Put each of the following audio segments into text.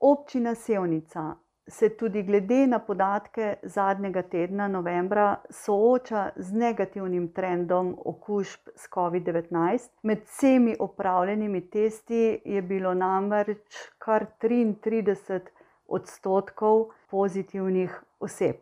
Občina Sevnica se tudi glede na podatke zadnjega tedna novembra sooča z negativnim trendom okužb s COVID-19. Med vsemi opravljenimi testi je bilo namreč kar 33% pozitivnih oseb.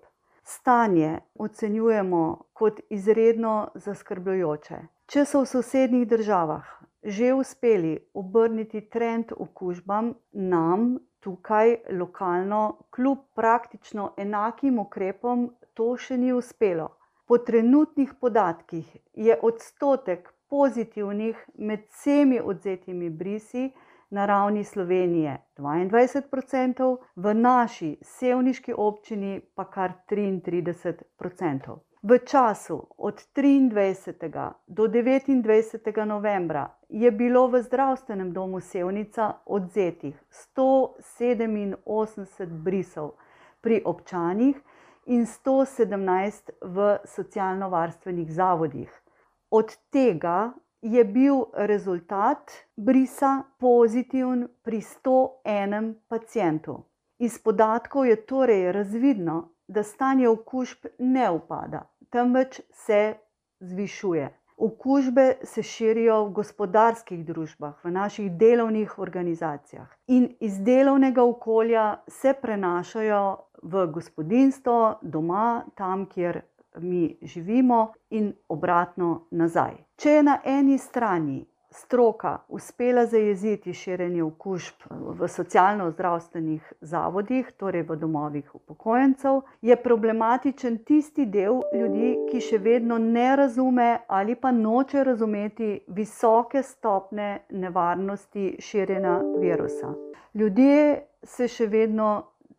Stanje ocenjujemo kot izredno zaskrbljujoče. Če so v sosednjih državah že uspeli obrniti trend okužbam, nam tukaj lokalno kljub praktično enakim ukrepom to še ni uspelo. Po trenutnih podatkih je odstotek pozitivnih med vsemi odvzetimi brisi na ravni Slovenije 22%, v naši sevniški občini pa kar 33%. V času od 23. do 29. novembra je bilo v zdravstvenem domu Sevnica odvzetih 187 brisov pri občanih in 117 v socialno-varstvenih zavodih. Od tega je bil rezultat brisa pozitiven pri 101 pacientu. Iz podatkov je torej razvidno, da stanje okužb ne upada, temveč se zvišuje. Okužbe se širijo v gospodarskih družbah, v naših delovnih organizacijah in iz delovnega okolja se prenašajo v gospodinjstvo, doma, tam, kjer mi živimo in obratno nazaj. Če je na eni strani stroka uspela zajeziti širjenje okužb v socialno-zdravstvenih zavodih, torej v domovih upokojencev, je problematičen tisti del ljudi, ki še vedno ne razume ali pa noče razumeti visoke stopnje nevarnosti širjenja virusa. Ljudje se še vedno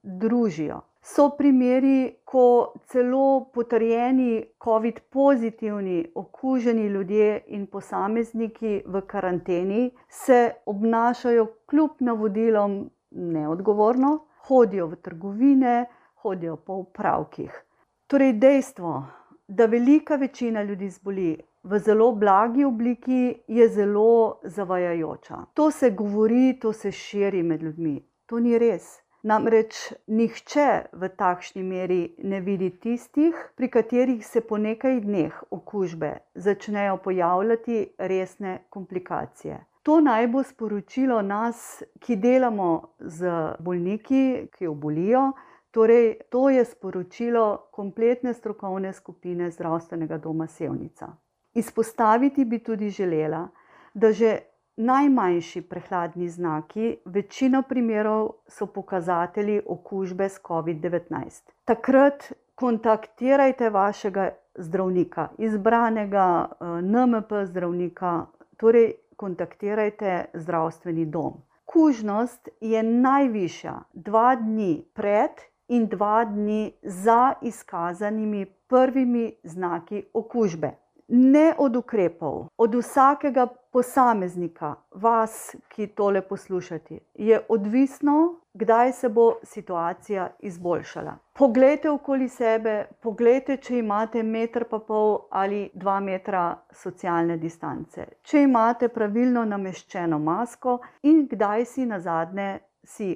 družijo. So primeri, ko celo potrjeni COVID pozitivni okuženi ljudje in posamezniki v karanteni se obnašajo kljub navodilom neodgovorno, hodijo v trgovine, hodijo po opravkih. Torej dejstvo, da velika večina ljudi zboli v zelo blagi obliki, je zelo zavajajoča. To se govori, to se širi med ljudmi. To ni res. Namreč nihče v takšni meri ne vidi tistih, pri katerih se po nekaj dneh okužbe začnejo pojavljati resne komplikacije. To naj bo sporočilo nas, ki delamo z bolniki, ki obolijo, torej to je sporočilo kompletne strokovne skupine Zdravstvenega doma Sevnica. Izpostaviti bi tudi želela, da že najmanjši prehladni znaki, večino primerov so pokazatelji okužbe s COVID-19. Takrat kontaktirajte vašega zdravnika, izbranega NMP zdravnika, torej kontaktirajte zdravstveni dom. Kužnost je najvišja 2 dni pred in 2 dni za izkazanimi prvimi znaki okužbe. Ne od ukrepov, od vsakega posameznika, vas, ki tole poslušate, je odvisno, kdaj se bo situacija izboljšala. Poglejte okoli sebe, poglejte, če imate 1,5 m ali 2 metra socialne distance, če imate pravilno nameščeno masko in kdaj si nazadnje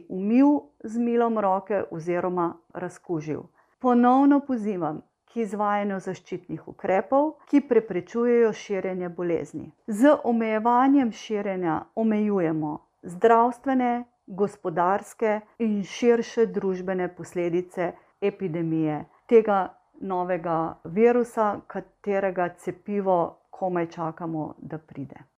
umil z milom roke oziroma razkužil. Ponovno pozivam k izvajanju zaščitnih ukrepov, ki preprečujejo širjenje bolezni. Z omejevanjem širjenja omejujemo zdravstvene, gospodarske in širše družbene posledice epidemije, tega novega virusa, katerega cepivo komaj čakamo, da pride.